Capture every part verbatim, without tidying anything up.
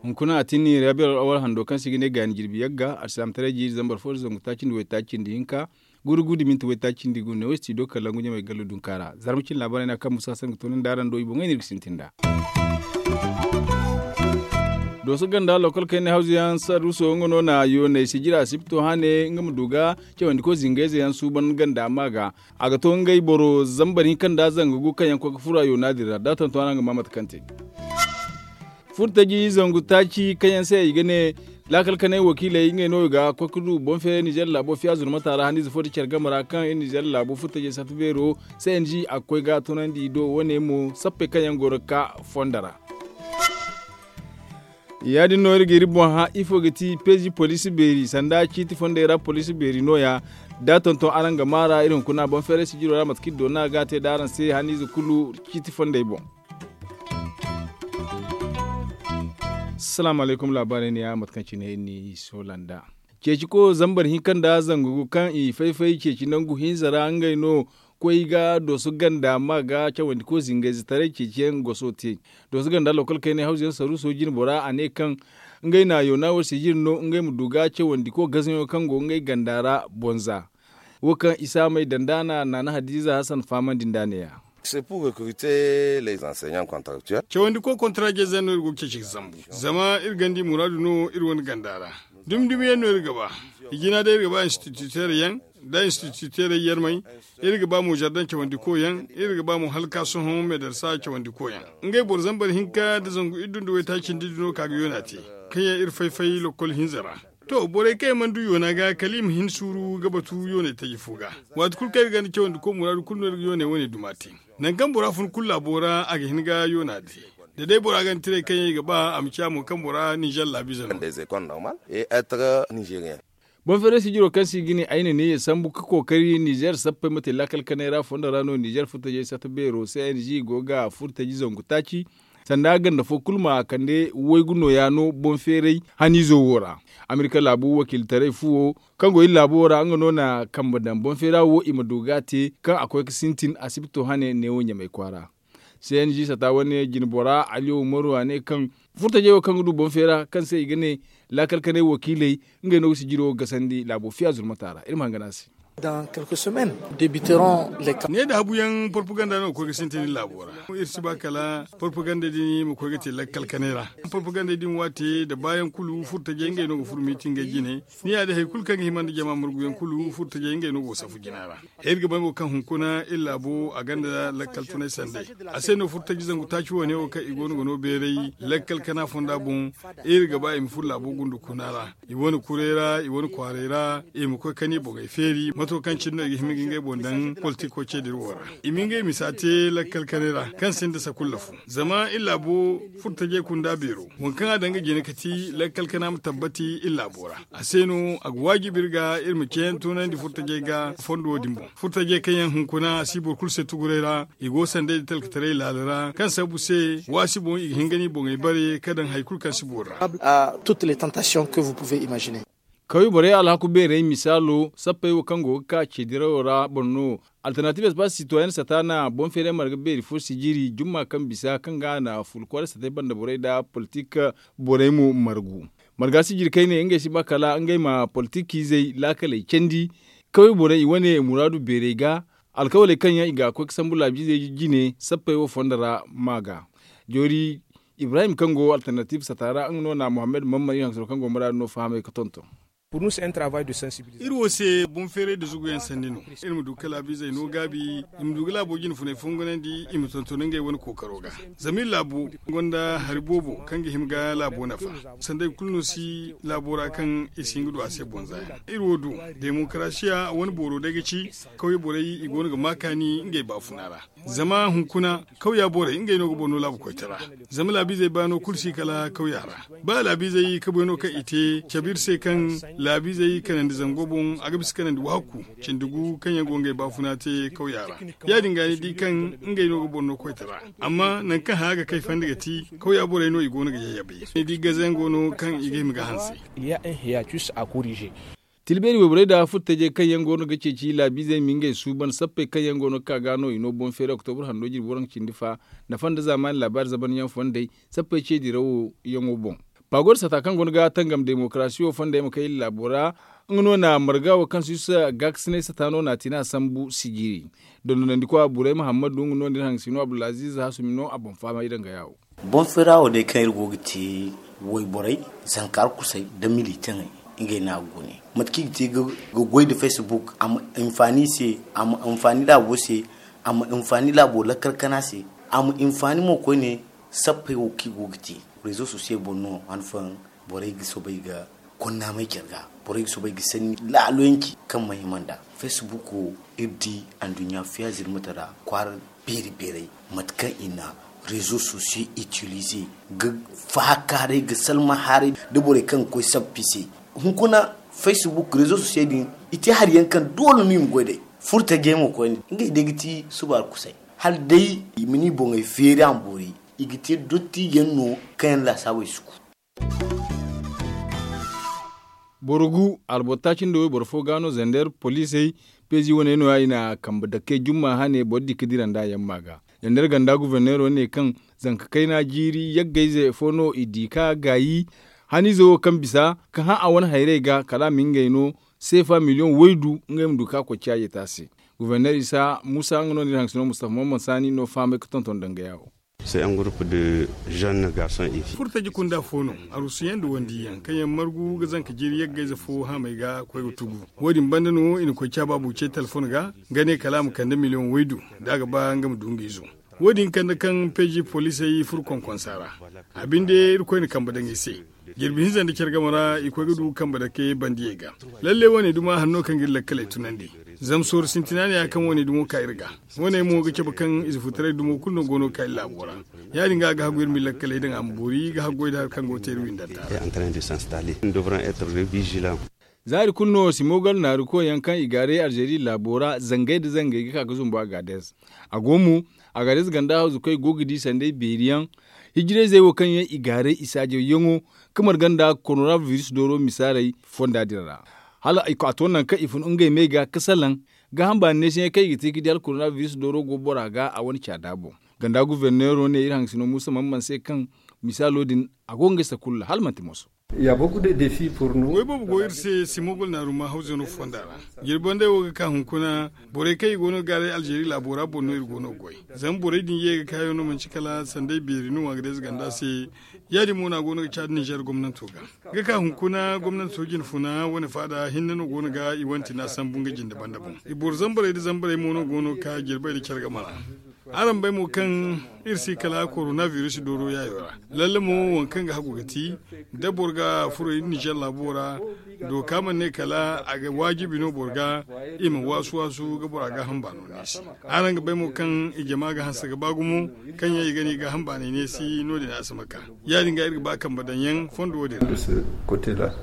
Hunkuna a tinni rabiyal awal hando kaŋ se i ga ne gaani jirbi yagga alsilaamataray jiiri zambar fo da zangu taaci nda waytaaci nda hinka, guru guru da minti waytaaci nda gu ne wo studio kalangu ɲamay gallo dunka ra. Zarma cine laabaarey no a kaŋ musa sangu toonandi araŋ do i boŋey no iri ga sintin nd'a. Dooso ganda lokol kaynay hawzu yaŋ sarruso nga no na yoonay sijira sipto hane nga ma du ga cawandi koy zingayze yaŋ suuban ganda ma ga. A ga to ngey boro zambar hinka nda zanga gu kaŋ yaŋ koy ga furo a yoona din ra da a tonton araŋ ga ma mate kaŋ te. Furtaji zangu taaci kaŋ yaŋ se i ga ne laakal kanay wakiiley ngey no i ga koy ga du boŋ feeray nizer laabo fiya zurmata ra haniize fo da care game ra kaŋ iri nizer laabo furtajey sata beero. C n g a ga koy ga tunandi i do wane mo sappey kaŋ yaŋ go ga ka fondo ra. Ya- din no iri ga iri boŋ hã ifo ga ti peezi poliisi beeri sanda ciiti fondey ra poliisi beeri no- ya. Da a tonton araŋ ga maa ra iri hunkuna boŋ feeray sijiro ra mate kaŋ iri doona ga te da araŋ se haniize kulu ciiti fondey boŋ. Salaamu alaykum laabaarey ne ya mate kaŋ cine iri n'i soola nd'a. Ceeci ko zambar hinka nda zangu gu kaŋ i fay-fay ceeci nangu hinza ra ngey no koy ga dooso ganda ma ga cawandi ko zingayze taray ceeci yaŋ goso te. Dooso ganda lokol kaynay hawzu yaŋ saruuso jine bora a ne kaŋ ngey na yoona wo sijiri no ngey ma du ga cawandi ko gazaŋo kaŋ go ngey ganda ra bonza. Wo kaŋ i saamey danda na naana hadiiza hasan fahamandi nd'a ne- ya. Cawandi ko kontarajey zey no iri go ga ceeci ga zambu zama iri ganda i muraadu no iri wane ganda ra. Dumi dumi yaŋ no iri ga ba. I jina day iri ga ba instituteerey yaŋ nda instituteerey yarmey. Iri ga ba mo zardaŋ cawandi ko yaŋ iri ga ba mo hala ga ka sohõ medarsa cawandi ko yaŋ. Ngey boro zambar hinka nda zangu iddu nda waytaaci nda iddu no ka ga yoona te kaŋ yaŋ iri fay-fay lokol hinza ra. To borey kaŋ yaŋ mana du yoona ga kala i ma hin suuru ga batu yoonay taji fo ga. Waati kulu kaŋ iri ganda cawandi ko muraadu kulu no iri ga yoonay wane duma te. Nangu kaŋ bora fun kulu laabo ra a ga hin ga yoona te. Da day bora ganda tirey kaŋ yaŋ i ga ba a ma ciya mo kaŋ bora ninzeer laabiize no. Boŋ feeray sijiro kaŋ se i ga ne ay na ne ya sambu ga kookari ninzeer sappey ma te laakal kanay ra fondo ra no ninzeer furtajey sata beero c n g go ga furtaji zangu taaci. Sanda ganda fo kulu ma kande waygu nooya no boŋ feeray haniizo wo ra. Amerika laabu wakiilitaray fuwo kaŋ go iri laabo wo ra nga no na kambe daŋ boŋ feera wo i ma du ga a te kaŋ a koy ga sintin asibito hane neewo ɲamay kwaara. C n g sata wane jine bora ali umaru a ne kaŋ furtajey wo kaŋ ga du boŋ feera kaŋ se i ga ne laakal kanay wakiiley ngey no ga sijiro gasandi laabo fiya zurmata ra iri ma hangan a se. Ne da habu yaŋ porpaganda no ga koy ga sintin iri laabo ra. Iri si ba kala porpaganda din ma koy ga te lakkal kanay ra. Porpaganda din waate da baayaŋ kulu furtajey ngey no ga furo miiti ngey jine. Ni ya da hari kulu kaŋ ga hima nda jama marguyaŋ kulu furtajey ngey no go ga safu jina ra. Iri ga bay mo kaŋ hunkuna iri laabo a gonda lakkal tunay sanday. A se no furtaji zangu taaci wane wo kaŋ i go no ga no beeray lakkal kana fonda boŋ. Iri ga ba i ma furo laabo gundu kuna ra. I wane kuray ra i wane kwaaray ra i ma koy kani boŋey feeri mato kaŋ cine no i ga hima ga ngey boŋ daŋ politiko ceediri wo ra. I ma ngey misa te lakkal kanay ra kaŋ sinda sakulla fo. Zama iri laabo furtajey kunda beero waŋ kaŋ a daŋ ga jina ga ti lakkal kana ma tabbati iri laabo ra. A se no a ga waajibi iri ga iri ma ceeyaŋ toonandi furtajey ga fondo din boŋ furtajey kaŋ yaŋ hunkuna a si boro kulu se tuguray ra. I go sanday da talkataray laala ra kaŋ sabu se waasi boŋ i ga hin ga ni boŋey bare ka daŋ hari kulu kaŋ si boro ra. Kawye borey alhaku beerey misaalo sappey wo kaŋ go ga ka ceedirawo ra boro no. Alternatives ba sitoyen sata na boŋ feeray marga beeri fo sijiri jumma kaŋ bisa kaŋ ga a na fulu kwaara satey banda borey nda politik borey mo margu. Marga sijiri kayne ngey si ba kala ngey ma politikizey laakaley candi. Kawye borey i wane muraadu beerey ga alkawaley kaŋ yaŋ i ga koy ga sambu laabiizey jine sappey wo fondo ra ma ga. Joori ibrahim kaŋ go alternative sata ra nga no na mohammed mammari haŋ soro kaŋ go muraadu no fahamay ga tonton. Iri wo se boŋ feeray nda zuguyaŋ sanni no. Iri ma du ga laabiizey no gaabi i ma du ga laabo jine funay fongunandi i ma tonton ngey wane kookaro ga. Zama iri laabo gonda hari boobo kaŋ ga hima ga laabo nafa. Sanday kulu no si laabo ra kaŋ i si hin ga du a se boŋ za yaŋ. Iri wo du demokarasiya wane booro day ga ci kawye borey i go no ga ma kaani ngey baafuna ra. Zama hunkuna kawya borey ngey no ga boro no laabu koytara. Zama laabiizey baano kulu si kala kawya ra. Ba laabiizey kabuyaŋo kaŋ i te cabe iri se kaŋ laabiizey kanandi zango boŋ a ga bisa kanandi waaku cindi gu kaŋ yaŋ go ngey baafuna te kawya ra. Ya- din ga ni di kaŋ ngey no ga boro no koytara. Amma nangu kaŋ haya ga kay fandi ga ti kawya borey no i go no ga yayyabay ni di gazayaŋ go no kaŋ i ga hima ga hanse. Tilbeeri wayborey nda furtajey kaŋ yaŋ go no ga ceeci laabiizey ma ngey suuban sappey kaŋ yaŋ go no ga ka ga no i no boŋ feeri oktobur hando jirbi waranka cindi fa nafa nda zaamaani laabaari zabanyaŋ fondey sappey ce dirawo yaŋo boŋ. Paagoor sata kaŋ go no ga tangam demokarasi wo fondey ma kay laabo ra. Nga no na marga wo kaŋ si yusa gaakasinay sata no na a ti na a sambu sijiri. Dondonandikwa buray muhammadu nga no nda iri haŋ si no abdulaziiz hasumi no a boŋ fahamay danga yaawo. Boŋ feera wo day kaŋ iri go ga te wayborey, zanka arkusey nda militaŋey, ngey no a ga gune. Mate kaŋ i ga te ga goy nda facebook a ma hinfaani i se, a ma hinfaani laabo se, a ma hinfaani laabo lakkal kana se, a ma hinfaani mo koyne. Sappey wo kaŋ i go ga te rezo sosiyey boŋ no han fooyaŋ borey ga soobay ga konnaamey care ga. Borey ga soobay ga sanni laalo yaŋ ci kaŋ ma hima nd'a. Fesbuk wo iri di anduɲɲa fiya zirmata ra kwaara beeri beerey, mate kaŋ i na rezo sosiyey itilize ga faakaaray ga salma haaray nda borey kaŋ ga koy sappi se. Hunkuna fesbuk rezo sosiyey din i te hari yaŋ kaŋ doole no i ma goy day. Furtajey mo koyne ngey day ga ti suba arkusey hala day i ma ni boŋey feeri a ma boori. I ga te dottiijaŋ no kaŋ yaŋ laasaabey si ku. Boro gu alboro taaci nda wayboro fo ga no zander poliisey peezi wane no- ya i na kambe dake jumma hane boro di ga dira nd'a yamma ga. Zander ganda guverneero ne kaŋ zanka kayna jiiri yaggayze fo no i di ka gaayi haniize wo kaŋ bisa ka hã a wane hayrey ga kala a ma ngey no seefa miliyoŋ waydu ngey ma du ka koy caaje te a se. Guverneer isa muusa nga no nda iri haŋ si no mustafa maman saani no fahamay ga tonton danga yaawo. Furtaji kunda fo no, arusuyaŋ nda wandiyaŋ kaŋ yaŋ margu ga zanka jiiri yaggayze fo haamey ga koy ga tugu. Wo- din banda no i na koy caabaabu ce telefon ga, nga ne kala a ma kande miliyoŋ waydu, da a ga ba nga ma du nga izo. Wo- din kande kaŋ peeji poliisey furo konkonsa ra. A binde irkoy na kambe daŋ i se. Jirbi hinza nda care game ra i koy ga du kambe dake bandiyey ga. Lalle wane duma hanno kaŋ ga iri lakkaley tunandi. Zama sooru sintina ne ya kaŋ wane dumo ka iri ga. Wane mo ga cabe kaŋ ize futaray dumo kulu no go no ga ka iri laabo ra. Ya- din ga a ga hagu iri ma iri lakkaley daŋ a ma boori ga haggoy nda hari kaŋ go ga te iri windanta ra. Za hari kulu no simogal naaru koy yaŋ kaŋ i gaaray alzeeri laabo ra zangay nda zangay ga ka ga zumbu agaades. A go mo agaades ganda hawzu kaŋ i go ga di sanday beeri yaŋ. Hijirayzey wo kaŋ yaŋ i gaaray i saajaw yaŋo, kamar ganda korona biris dooro misaaray fonda din ra. Hala a to nangu kaŋ i fun ngey me ga ga salaŋ. Gaaham baani neesiyaŋ kaŋ i ga te ga di hala korona biris dooro go bora ga a wane caada boŋ. Ganda guverneero ne iri haŋ ga si no muusa man man se kaŋ misaalo din a go ga ngey sakulla hala manti moso. Goy boobo go iri se simogol naaru ma hawzano fonda ra. Jirbi banday wo ga ka hunkuna borey kaŋ i go no ga gaaray alzeeri laabo ra boŋ no iri go no ga goy. Zama borey din ye ga kaayaŋ no manci kala sanday beeri no a ga day ze ganda se. Ya- din mo no a go no ga caadi nizer gomnanto ga. Ga ka hunkuna gomnanto jinfuna wane faada hinne no go no ga i wane tina sambu nga jinde banda boŋ. I boro zambarey nda zambarey mo no go no ga ka jirbey nda care game ra. Araŋ bay mo kaŋ iri si kala korona biris dooro yaayo ra. Lalle mo waŋ kaŋ ga hagu ga ti da boro ga furo iri nizer laabo ra, dooka mana ne kala a ga waajibi no boro ga i ma waasu waasu ga bora gaaham baano neesi. Araŋ ga bay mo kaŋ i jama ga hanse ga ba gumo, kaŋ yaŋ i ga ne i gaaham baanay neesi no- din a si ma ka. Ya- din ga iri ga ba kambe daŋ yaŋ fondo wo- din ra.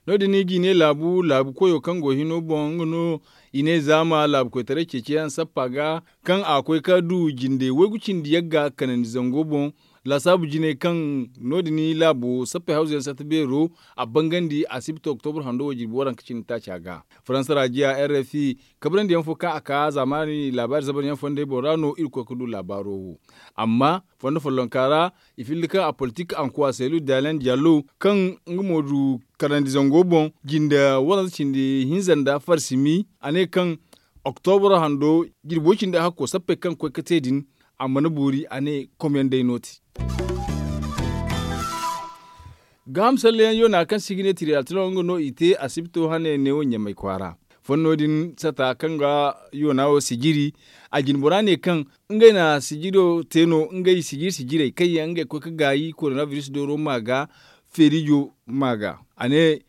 No- din i ga i ne laabu laabu koyo kaŋ go hino boŋ nga no i ne zaama laabu koytaray ceeciyaŋ sappa ga, kaŋ a koy ka du jinde waygu cindi yagga kanandi zango boŋ. Laasaabu jinay kaŋ no- din laabo sappey hawzuyaŋ sata beero a bangandi asibti oktobur hando wo jirbi waranka cindi taaca ga. Faransa raajiya r f i kabrandi yaŋ fo kaŋ a ka zaamaani laabaari zabar yaŋ fondey boŋ ra no iri koy ga du laabaaro wo. Amma fondo follonka ra i filli kaŋ a politik ankuwa selu dalen jallo kaŋ nga mo du kanandi zango boŋ jinde waranza cindi hinza nda farsimi a ne kaŋ oktobra hando jirbo cindi hakko sappey kaŋ koy ga te din. A mana boori a ne komyaŋ day no ti. Gaaham salleyaŋ yoona kaŋ se i ga ne tiriyaal tiraŋo nga no i te asibito hane neewo ɲamay kwaara. Fonno din sata kaŋ ga yoona wo sijiri. A jinbora ne kaŋ ngey na sijiro te no ngey sijiri sijirey kaŋ yaŋ ngey koy ga gaayi korona biris dooro ma ga feerijo ma ga. A ne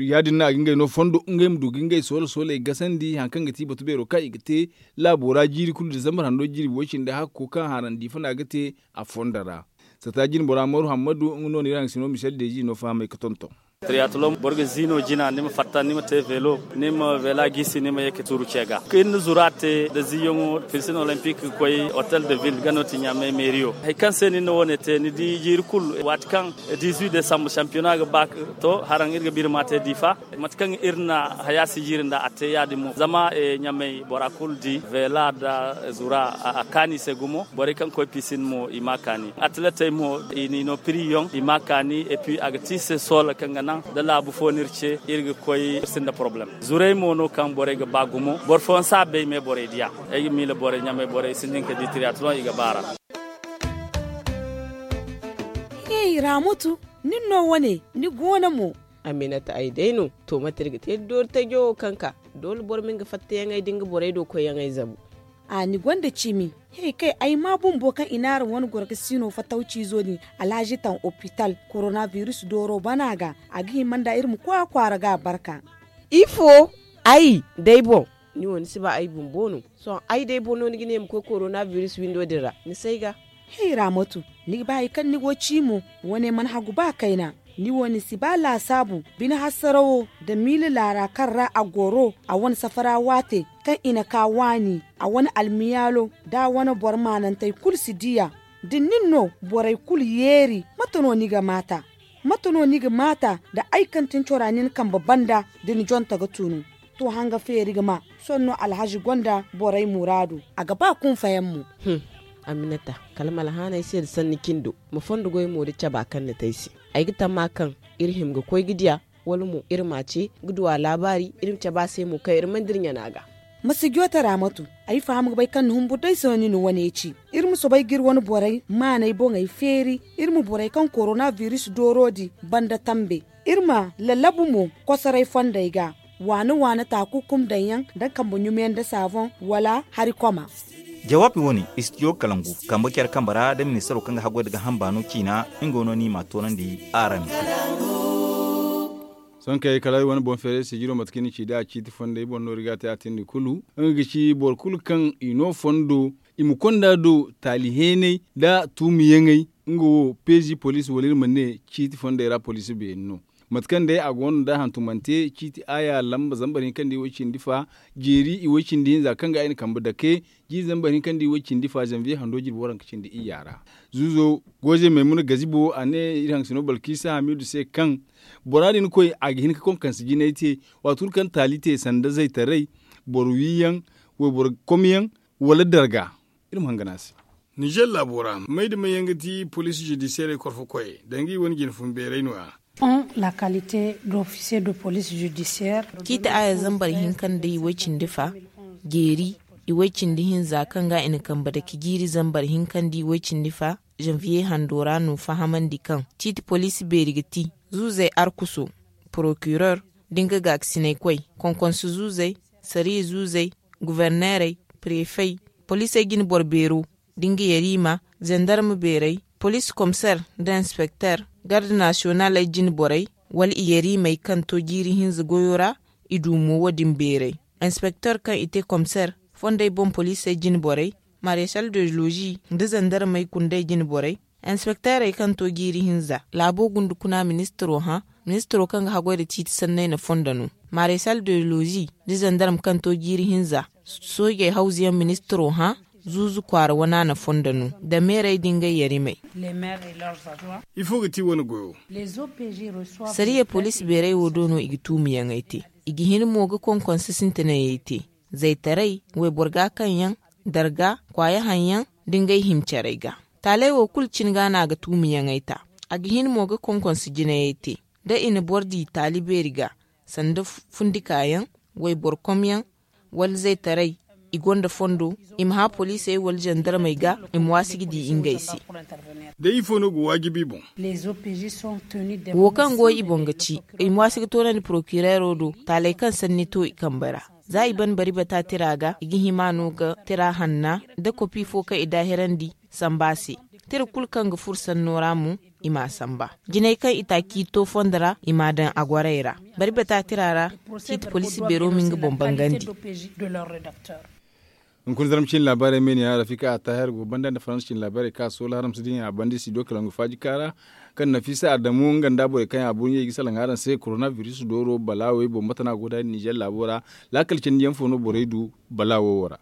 ya- din no a ga ngey no fondo ngey ma du ga ngey soola sooley gasandi hari kaŋ ga ti batu beero kaŋ i ga te laabo ra jiiri kulu disambar hando jirbi way- cindi hakko kaŋ harandi funa ga te a fondo ra. Sata jinbora maru hammadu nga no na iri haŋ ga si no misel deezi no fahamay ga tonton. Triathlon boro ga ziino jina ni ma fatta ni ma te velo, ni ma vela gisi ni ma ye ka turu ce ga ka iri na zura te da ziyaŋo. Piscine olympique ga koy hotel de ville ga no ti ɲamay meeriyo. Hari kaŋ se ni na wo- ne te ni di jiiri kulu waati kaŋ dix-huit décembre championnat ga ba to haraŋ iri ga biri ma te diifa. Mate kaŋ iri na haya si jiiri nda a te ya- din mo zama ɲamay bora kulu di vela nda zura a kaani se gumo. Borey kaŋ koy piscine mo i ma a kaani, atletey mo i n'i no piriyoŋ i ma a kaani. Et puis a ga ti i se soola kaŋ ga naŋ da laabu fo no iri ce iri ga koy iri sinda poroblem. Zurey mo no kaŋ borey ga ba gumo boro fooyaŋ si a bay me borey di a. Ay ga miila borey ɲamay borey sintin ka di triathlon i ga baar'a. Hey raamatu, nin no wane ni go no mo? Aminata ay day no. To mate iri ga te da doori tajo wo kaŋ ka doole boro ma nga fattayaŋey da nga borey do koyyaŋey zabu. A ni gonda cimi. He kay ay ma bumbo kaŋ i naara wane goro ga siino fattawciizo din alhazi taŋ opital korona biris dooro bana ga. A ga hima nda iri ma koy a kwaara ga a barka. Ifo? Ay day boŋ. Ni wo ni si ba ay bumbo no? Sohõ ay day boŋ no ni ga ne ma koy korona biris windo din ra ni si ay ga. He raamatu, ni ga ba hari kaŋ ni go ci mo? Wane mana hagu ba kayna. Ni wo ni si ba laasaabu bine hasarawo nda miila laara kaŋ ra a goro a wane safara waate kaŋ i na ka waani a wane almiyaalo da a wane boro maanantey kulu si di a. Da nin no borey kulu yeeri mate no ni ga maata? Mate no ni ga maata nda ay kaŋ tin cora nin kambe banda da ni jonte ga tunu? To hanga feeri ga ma. Sohõ no alhazi gonda borey muraadu a ga ba kunfayaŋ mo. Aminata, kala ma alhaanay se nda sanni cindo ma fondo goy mo da caba kaŋ ni te ay se. Ay ga tamma kaŋ iri hima ga koy ga diya wala mo iri m'a ce ga du a laabaari iri ma cabe a se mo kaŋ iri mana dira ɲana ga. Ma si joote raamatu. Ay faham ga bay kaŋ ni humburu day se no ni na wane ci. Iri ma soobay ga iri wane borey maaney boŋey feeri. Iri ma borey kaŋ korona biris dooro di banda tambe. Iri ma lallabu mo kosoray fondey ga waana waana taakukum daŋ yaŋ da kambe ɲumiyaŋ nda saaboŋ wala hari koma. Jawaabi wane istidiyo kalangu kambe care kambe ra da ministaro kaŋ ga haggoy nda gaaham baano ciina. Nga no no ni m'a toonandi araŋ. Sohõ kay kala ay wane boŋ feeray sijiro mate kaŋ ni ci da a ciiti fondey boŋ no iri ga a te a tindi kulu. Nga ga ci boro kulu kaŋ i no fondo i ma konda do taali heenay nda tuumiyaŋey. Nga wo peezi poliisi wala iri ma ne ciiti fondey ra poliisi beeri no. Mate kaŋ day a go no nda hantumante ciiti aaya lamba zambar hinka nda iway cindi fa jeeri iway cindi hinza kaŋ ga ay na kambe dake jiiri zambar hinka nda iway cindi fa zanviye hando jirbi waranka cindi iyya ra. Zuuzo goozey maymuna gazibo a ne iri hangasino balkiisa hamiidu se kaŋ bora din koy a ga hin ka konkansi jinay te. Waati kulu kaŋ taali te sanda zaytaray boro wiiyaŋ wayboro komyaŋ wala darga. Iri ma hangan a se. Nizer laabo ra may da may yaŋ ga ti poliisi judisiyerey korfo koyey danga i wane jine fun beeray no- ya. Ciiti aaya zambar hinka nda iway cindi fa jeeri iway cindi hinza kaŋ ga i na kambe dake jiiri zambar hinka nda iway cindi fa zanviye hando ra no fahamandi kaŋ ciiti poliisi beeri ga ti zuuzey arkuso, porokirer, da nga gaakasinaykoy, konkonso zuuzey, sariya zuuzey, guverneerey, prefey, poliisey jine boro beero, da nga yariima, zandarma beerey, poliisi komiseer nda inspekteer, garde nasiyonaaley jine borey, wala i yariimey kaŋ to jiiri hinza goyo ra. I du mo wo- din beerey inspekteer kaŋ i te komiseer, fondey boŋ poliisey jine borey, maresal de lozi nda zandarmey kundey jine borey, inspekteerey kaŋ to jiiri hinza laabo gundukuna ministiro hã. Ministiro kaŋ ga haggoy nda ciiti sanney na fondo no. Maresal de lozi nda zandarm kaŋ to jiiri hinza, soojey hawzuyaŋ ministiro hã. Zuuzu kwaara wana na fondo no nda meerey da ngey yarimey. Ifo ga ti wane goyo? Sariya poliisi beerey wo do no i ga tuumiyaŋey te. I ga hin mo ga konkonse sintinayey te, zaytaray, wayboro gaakaŋyaŋ, darga, kwaaya haŋyaŋ, da ngey hima carey ga. Taaley wo kulu cine ga no a ga tuumiyaŋey ta. A ga hin mo ga konkonse jinayey te. Da i na boro di taali beeri ga, sanda fundikaayaŋ, wayboro komyaŋ, wala zaytaray, i gonda fondo, i ma hã poliisey wala zandarmey ga, i ma waasi ga di ngey se. Day ifo no ga waajibi i boŋ? Wo kaŋ go i boŋ ga ci, i ma waasi ga toonandi porokireero do taaley kaŋ sanni to i kambey ra. Za i ban bari bata tira ga, i ga hima no ga tira hanna nda kopi fo kaŋ i daahirandi samba se. Tira kulu kaŋ ga furo sanno ra mo, i m'a samba. Jinay kaŋ i taaci to fondo ra, i m'a daŋ a gwaray ra. Bari bata tira ra, ciiti poliisi beero ma nga boŋ bangandi. Hunkuna zarma ciine laabaarey me ne ya rafika a taahir go banda nda faransa ciine laabaarey kaŋ a soola haram si dinya a banda i si do kala nga faaji kaara, kaŋ nafiisa adamu nga nda borey kaŋ yaŋ a burɲey ga salaŋ araŋ se korona biris dooro balaawey boŋ mate no a go da nizer laabo ra. Laakal cindi yaŋ fo no borey du balaawo wo ra.